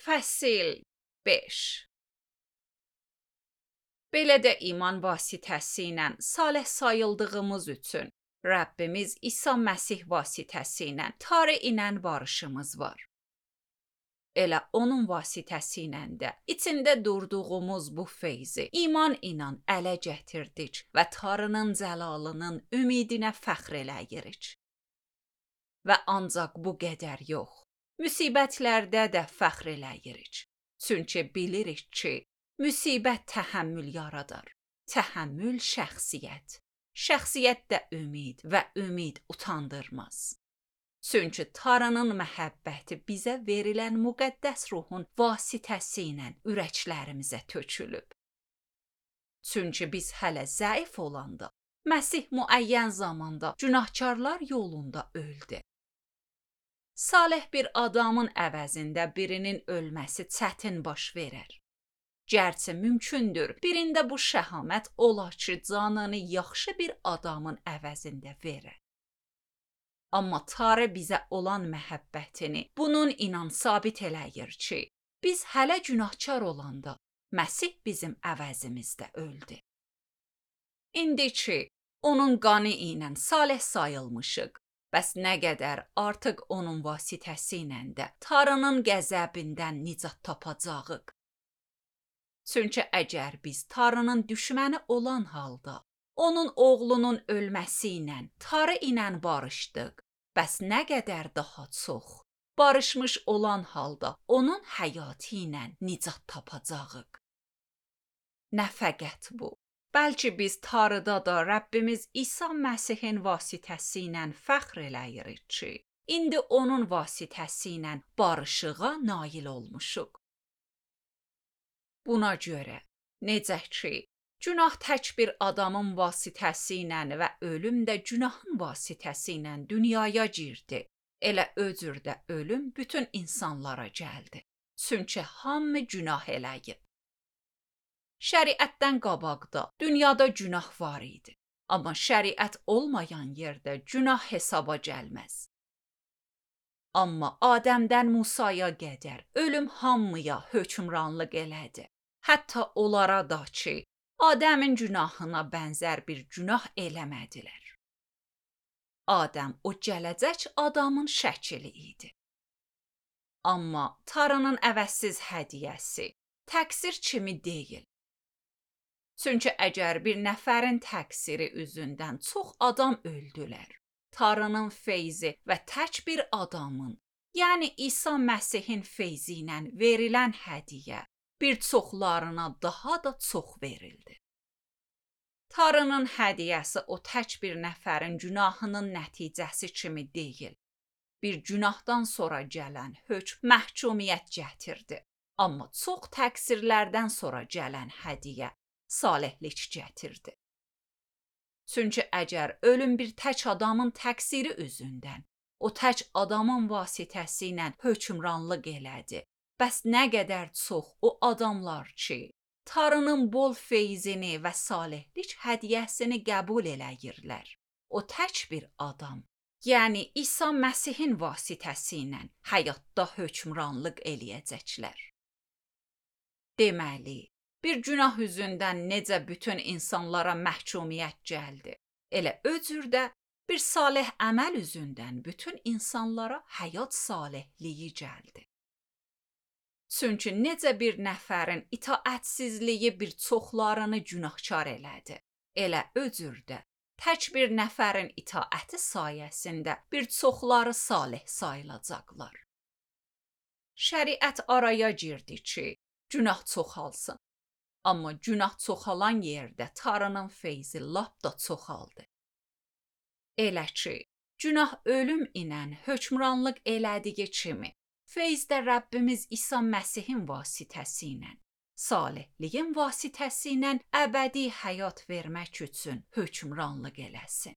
Fəsil 5. Belə də iman vasitəsi ilə salih sayıldığımız üçün Rəbbimiz İsa Məsih vasitəsi ilə Tanrı ilə barışımız var. Elə onun vasitəsi ilə də içində durduğumuz bu feyzi iman ilə ələ gətirdik və Tanrının cəlalının ümidinə fəxr eləyirik. Və ancaq bu qədər yox, müsibətlərdə də fəxr eləyirik. Çünki bilirik ki, müsibət təhəmmül yaradar, təhəmmül şəxsiyyət, şəxsiyyət də ümid və ümid utandırmaz. Çünki Tanrının məhəbbəti bizə verilən müqəddəs ruhun vasitəsi ilə ürəklərimizə tökülüb. Çünki biz hələ zəif olanda, Məsih müəyyən zamanda günahkarlar yolunda öldü. Salih bir adamın əvəzində birinin ölməsi çətin baş verər. Gərçi mümkündür, birində bu şəhamət ola ki, canını yaxşı bir adamın əvəzində verər. Amma Tanrı bizə olan məhəbbətini bunun inan sabit eləyir ki, biz hələ günahkar olanda Məsih bizim əvəzimizdə öldü. İndi ki, onun qanı ilə salih sayılmışıq, bəs nə qədər artıq onun vasitəsi ilə də Tanrının qəzəbindən nicat tapacağıq. Çünki əgər biz Tanrının düşməni olan halda, onun oğlunun ölməsi ilə Tanrı ilə barışdıq, bəs nə qədər daha çox, barışmış olan halda onun həyatı ilə nicat tapacağıq. Nə fəqət bu, bəlkə biz Tanrıda da Rəbbimiz İsa Məsihin vasitəsi ilə fəxr eləyirik ki, indi onun vasitəsi ilə barışığa nail olmuşuq. Buna görə, necə ki, günah tək bir adamın vasitəsi ilə və ölüm də günahın vasitəsi ilə dünyaya girdi, elə özür də ölüm bütün insanlara gəldi. Çünki hamı günah eləyib. Şəriətdən qabaqda dünyada günah var idi, amma şəriət olmayan yerdə günah hesaba gəlməz. Amma Adəmdən Musaya qədər ölüm hamıya hökmranlıq elədi. Hətta onlara da ki, Adəmin günahına bənzər bir günah eləmədilər. Adəm o gələcək adamın şəkli idi. Amma Tanrının əvəzsiz hədiyyəsi təqsir kimi deyil. Çünki əgər bir nəfərin təqsiri üzündən çox adam öldülər, Tanrının feyzi və tək bir adamın, yəni İsa Məsihin feyzi ilə verilən hədiyyə bir çoxlarına daha da çox verildi. Tanrının hədiyyəsi o tək bir nəfərin günahının nəticəsi kimi deyil. Bir günahdan sonra gələn hökm məhkumiyyət gətirdi. Amma çox təqsirlərdən sonra gələn hədiyyə salihlik gətirdi. Çünki əgər ölüm bir tək adamın təqsiri üzündən, o tək adamın vasitəsi ilə hökmranlıq elədi, bəs nə qədər çox o adamlar ki, Tanrının bol feyzini və salihlik hədiyyəsini qəbul eləyirlər. O tək bir adam, yəni İsa Məsihin vasitəsi ilə həyatda hökmranlıq eləyəcəklər. Deməli, bir günah üzündən necə bütün insanlara məhkumiyyət gəldi, elə özür də bir salih əməl üzündən bütün insanlara həyat salihliyi gəldi. Çünki necə bir nəfərin itaətsizliyi bir çoxlarını günahkar elədi, elə özür də tək bir nəfərin itaəti sayəsində bir çoxları salih sayılacaqlar. Şəriət araya girdi ki, günah çoxalsın. Amma günah çoxalan yerdə Tanrının feyzi lap da çoxaldı. Elə ki, günah ölüm ilə hökmranlıq elədiyi kimi, feyz də Rəbbimiz İsa Məsihin vasitəsi ilə, salihliyin vasitəsi ilə əbədi həyat vermək üçün hökmranlıq eləsin.